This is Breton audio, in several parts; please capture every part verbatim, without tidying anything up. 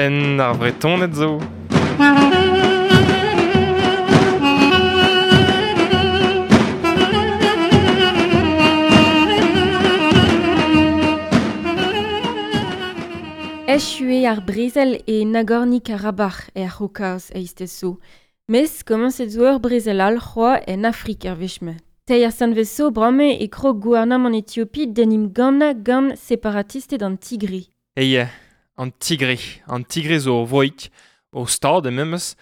Penn ar Vretoned zo. Echu eo ar brezel e Nagorno-Karabakh er C'haokaz eizhtez zo. Mes komañset zo ur brezel all c'hoazh en Afrik ar wech-mañ. Teir sanvez zo bremañ e krog gouarnamant Etiopi d'en em gannañ gant separatisted an Tigre. Eie, an Tigre. An Tigre zo ur vroig, ur stad e memes,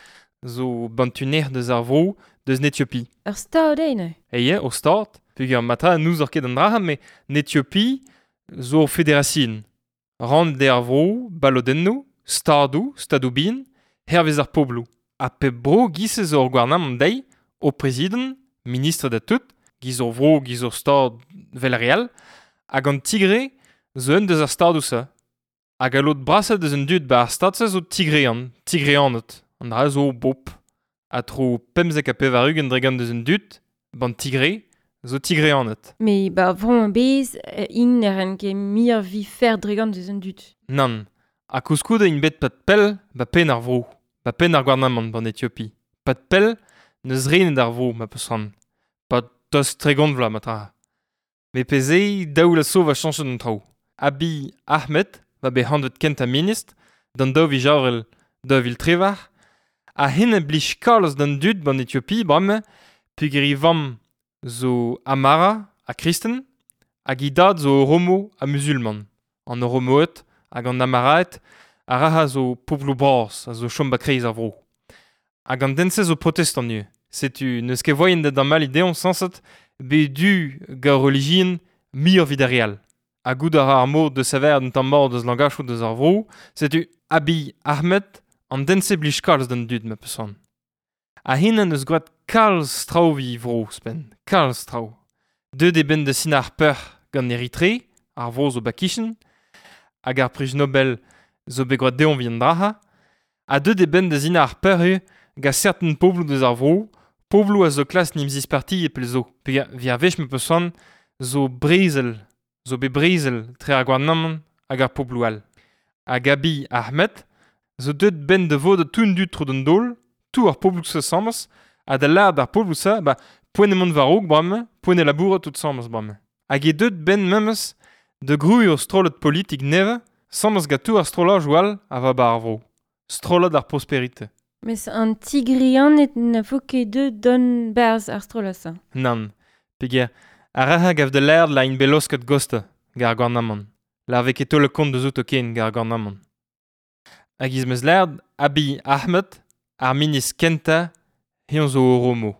zo bantuner deus ar vro deus n'Etiopi. Ur stad eo neuze? Eie, ur stad. Peogwir matra n'ouzoc'h ket an dra, met n'Etiopi zo ur federasion. Rann d'ar vro, balodennoù, stadoù, stadoù bihan, hervez ar pobloù. Ha pep bro giz zo ur gouarnamant dezhi, o prezidant, ministr da tout, giz ur vro, giz ur stad vel ar re all, hag an Tigre zo un deus ar stadoù-se. Hag a lod brasañ deus an dud ba ar stad-se zo Tigrean, Tigreaned. An dra zo bop. Ha tro pemzek ha pevar-ugent dregont deus an dud, ban Tigre, zo Tigreaned. Me ba vro a-bezh int ne ran ket muioc'h vi fer dregont deus an dud. Nann. Ha koulskoude int bet pad pell ba penn ar vro, ba penn ar gouarnamant ban Etiopi. Pad pell n'eus renet ar vro ma peus c'hoant. Pad tost tregont vloaz ma tra. Met pezh eo daou la so va chañchet an traoù. Abiy Ahmed va bet hanvet kentañ ministr d'an daou viz Avril daou vil trivac'h ha hen a blij kalz d'an dud ban Etiopi bremañ peogwir e vamm zo Amara ha kristen hag e dad zo Oromo ha musulman. An Oromoed hag an Amaraed a ra zo pobloù bras a zo chom ba kreiz ar vro. Hag an den-se zo protestant ivez. Setu n'eus ket voaien da damall dezhañ sañset bet du gant relijion muioc'h evit ar re all. Ha goût a ra ar mod de saver un tamm mat deus langachoù deus ar vro, setu Abiy Ahmed an den-se blij kalz d'an dud ma peus c'hoant. Ha hen eus gwraet kalz traoù evit e vro ouzhpenn, kalz traoù. Deuet eo benn da sinañ ar peoc'h gant Eritre, ar vro zo ba-kichen, hag ar priz Nobel zo bet gwraet dezhañ evit an dra-se, ha deuet eo benn da sinañ ar peoc'h ivez gant serten pobloù deus ar vro, pobloù a zo klas n'em zisparti e pell zo. Peogwir evit ar wech ma peus c'hoant zo brezel, zo bet brezel tre ar gouarnamant hag ar pobloù all. Hag Abiy Ahmed zo deuet benn da vodañ tout an dud tro d'an daol, tout ar pobloù-se asambles, ha da lâret d'ar pobloù-se, ba, poent emañ war-raok bremañ, poent e labourat tout asambles bremañ. Hag eo deuet benn memes da grouiñ ur strollad politik nevez, asambles gant tout ar strolladoù all a va ba ar vro. Strollad ar prosperite. Mes an Tigreaned na vo ket deuet don berzh ar strollad-se. Nann, peogwir ar re gav da lâret la int bet laosket gosta gant ar gouarnamant. La vez ket taol kont deus outo ken gant ar gouarnamant. Hag iz meus lâret Abiy Ahmed, ar ministr kentañ, eñ zo Oromo.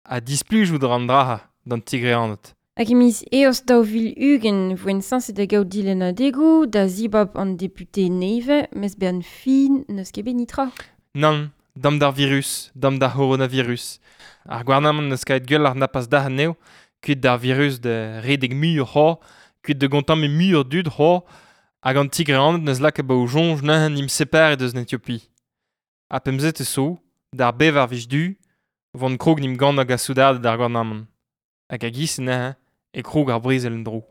Ha displijout an dra d'an Tigreaned. Hag e miz Eost daou vil ugent voent sañset da gaout dilennadegoù da zibab an depute nevez, mes benn fin n'eus ket bet netra. Nann, dam d'ar virus, dam d'ar c'horonavirus. Ar gouarnamant n'eus ket gwell ar napas da anezho, kuit d'ar virus da redek muioc'h c'hoazh, kuit da gontammiñ muioc'h dud c'hoazh, hag an Tigreaned n'eus lakaet ba o soñj neuze n'im separet eus n'Etiopi. Ha pemzet e so, d'ar bevar wech du, vont krog n'im gannañ gant soudarded ar gouarnamant. Hag a giz neuze e krog ar brezel en-dro.